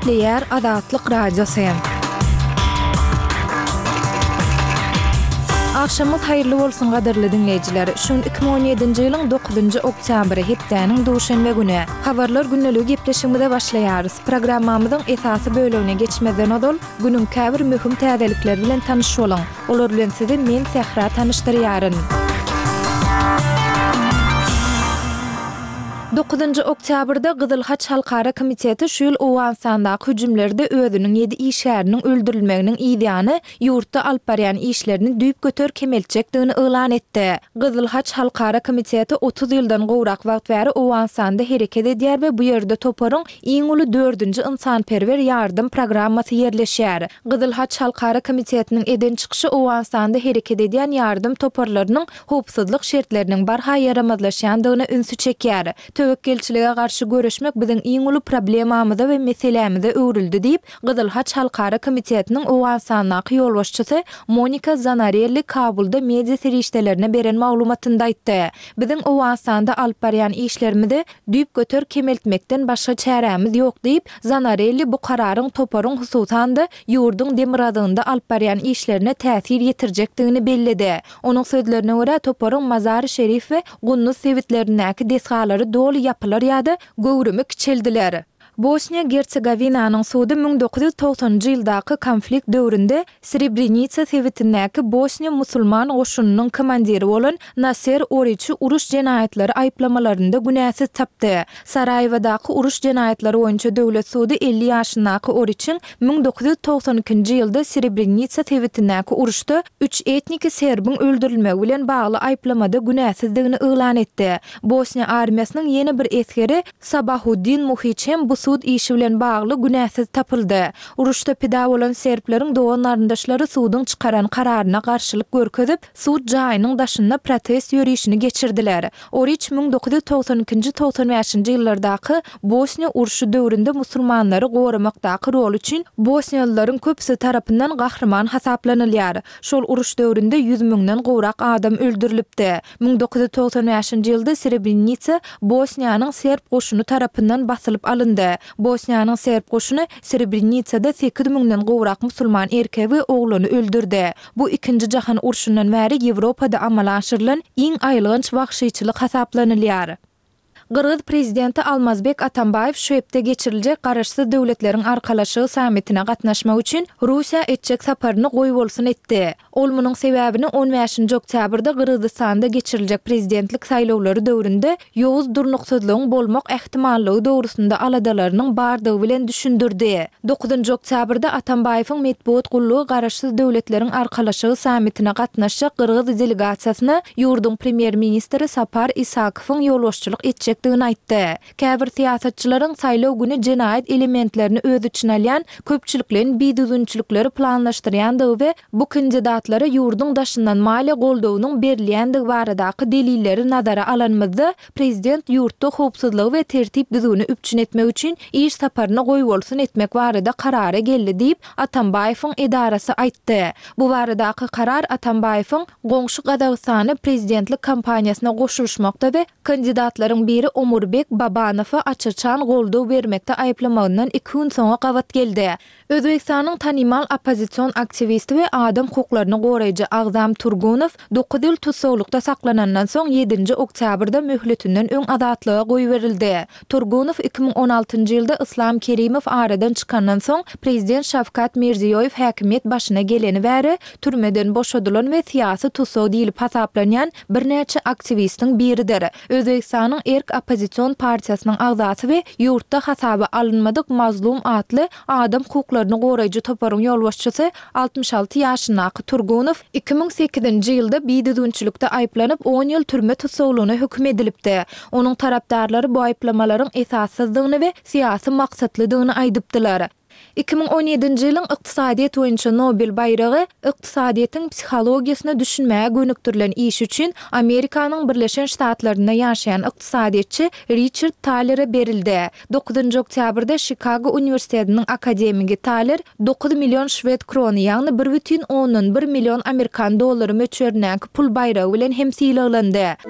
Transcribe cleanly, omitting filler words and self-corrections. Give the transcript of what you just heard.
Gepleýär Azatlyk Radiosy. Agşamyňyz haýyrly bolsun gadyrly diňleýjiler! Şu gün 2017-nji ýylyň dokuzynjy oktýabry, hepdäniň duşenbe güni. Habarlar gündeligi gepleşigimize başlaýarys. Programmamyzyň esasy bölegine geçmezden ozal, günüň käbir möhüm täzelikleri bilen tanyş boluň. Olar bilen sizi men Sähra tanyşdyrýaryn. Dokuzynjy oktýabrda Gyzyl Haç Halkara komiteti şu ýyl Owganystandaky hüjümlerde özüniň ýedi işgäriniň öldürilmeginiň yzýany ýurtda alyp barýan işlerini düýpgöter kemeltjekdigini yglan etdi. Gyzyl Haç Halkara komiteti 30 ýyldan gowrak wagt bäri Owganystanda hereket edýär we bu ýerde toparyň iň uly dördünji ynsanperwer ýardam programmasy ýerleşýär. Gyzyl Haç Halkara komitetiniň eden çykyşy Owganystanda hereket edýän ýardam toparlarynyň howpsuzlyk şertleriniň barha ýaramazlaşýandygyna ünsi çekýär. Töwekgelçilige garşy göreşmek biziň iň uly problemamyza we meselämize öwrüldi diýip, Gyzyl Haç Halkara komitetiniň Owganystandaky ýolbaşçysy Monika Zanarelli Kabulda media serişdelerine beren maglumatynda aýtdy. Biziň Owganystanda alyp barýan işlerimizi düýpgöter kemeltmekden başga çärämiz ýok diýip, Zanarelli bu kararyň toparyň hususan-da, ýurduň demirgazygynda alyp barýan işlerine täsir ýetirjekdigini belledi. Onuň sözlerine görä, toparyň Mazary-Şerif we Gunduz sebitlerindäki desgalary doly ýapylar ýa-da göwrümi kiçeldiler. Bosniýa-Gersegowinanyň sudy 1990-njy ýyldaky konflikt döwründe Srebrenitsa sebitindäki bosniýa musulman goşunynyň komandiri bolan Naser Oriçi uruş jenaýatlary aýyplamalarynda günäsiz tapdy. Saraýewadaky uruş jenaýatlary boýunça döwlet sudy 50 ýaşyndaky Oriçiň 1992-nji ýylda Srebrenitsa sebitindäki uruşda üç etniki serbiň öldürilmegi bilen bagly aýyplamada günäsizdigini yglan etdi. Bosniýa armiýasynyň ýene bir esgeri Sabahuddin Muhiç hem bu sud işi bilen bagly günäsiz tapyldy. Uruşda pida bolan serbleriň dogan-garyndaşlary suduň çykaran kararyna garşylyk görkezip, sud jaýynyň daşynda protest ýörişini geçirdiler. Oriç 1992-nji 95-nji ýyllardaky Bosniýa urşy döwründe musulmanlary goramakdaky roly üçin bosniýalylaryň köpüsi tarapyndan gahryman hasaplanylýar. Şol uruş döwründe ýüz müňden gowrak adam öldürilipdi. 1995-nji ýylda Srebrenitsa Bosniýanyň serb goşuny tarapyndan basylyp alyndy. Bosniýanyň serb goşuny Srebrenitsada sekiz müňden gowrak musulman erkegi we oglany öldürdi. Bu Ikinji jahan urşundan bäri Ýewropada amala aşyrylan iň aýylganç wagşyçylyk hasaplanylýar. Gyrgyz prezidenti Almazbek Atambaýew şu hepde geçiriljek Garaşsyz Döwletleriň Arkalaşygy sammitine gatnaşmak üçin Russiýa etjek saparyny goýbolsun etdi. Ol munuň sebäbini on bäşinji oktýabrda Gyrgyzystanda geçiriljek prezidentlik saýlawlary döwründe ýowuz durnuksyzlygyň bolmak ähtimallygy dogrusynda aladalarynyň bardygy bilen düşündirdi. Dokuzynjy oktýabrda Atambaýewiň metbugat gullugy Garaşsyz Döwletleriň Arkalaşygy sammitine gatnaşjak gyrgyz delegasiýasyna ýurduň premýer-ministri Sapar Isakowyň ýolbaşçylyk etjekdigini aýtdy. Käbir syýasatçylaryň saýlaw güni jenaýat elementlerini öz içine alýan köpçülikleýin bidüzgünçilikleri planlaşdyrýandygy we bu kandidatlara ýurduň daşyndan maliýe goldawynyň berilýändigi baradaky delilleri nazara alanymyzda, prezident ýurtda howpsuzlygy we tertip-düzgüni üpjün etmek üçin iş saparyny goýbolsun etmek barada karara geldi diýip, Atambaýewiň edarasy aýtdy. Bu baradaky karar Atambaýewiň goňşy Gazagystany prezidentlik kampaniýasyna goşulyşmakda we kandidatlaryň biri Omurbek Babanowa aç-açan goldaw bermekde aýyplamagyndan iki gün soňa gabat geldi. Özbegistanyň tanymal oppozision aktiwisti we adam hukuklaryny goraýjy Agzam Turgunow dokuz ýyl tussaglykda saklanandan soň ýedinji oktýabrda möhletinden öň azatlyga goýberildi. Turgunow 2016-njy ýylda Yslam Kerimow aradan çykandan soň prezident Şawkat Mirziýoýew häkimiýet başyna geleni bäri türmeden boşadylan we syýasy tussag diýlip hasaplanýan birnäçe aktiwistiň biridir. Özbegistanyň Erk oppozision partiýasynyň agzasy we ýurtda hasaba alynmadyk Mazlum atly adam hukuklaryny goraýjy toparyň ýolbaşçysy 66 ýaşyndaky Turgunow 2008-nji ýylda bidüzgünçilikde aýyplanyp, on ýyl türme tussaglygyna höküm edilipdi. Onuň tarapdarlary bu aýyplamalaryň esassyzdygyny we syýasy maksatlydygyny aýdypdylar. 2017-nji ýylyň ykdysadyýet boýunça Nobel baýragy ykdysadyýetiň psihologiýasyna düşünmäge gönükdirilen işi üçin Amerikanyň Birleşen Ştatlarynda ýaşaýan ykdysadyýetçi Riçard Talere berildi. Dokuzynjy oktýabrda Şikago uniwersitetiniň akademigi Taler dokuz million şwed krony, ýagny bir bütin ondan bir million amerikan dollary möçberindäki pul baýragy bilen hem sylaglandy.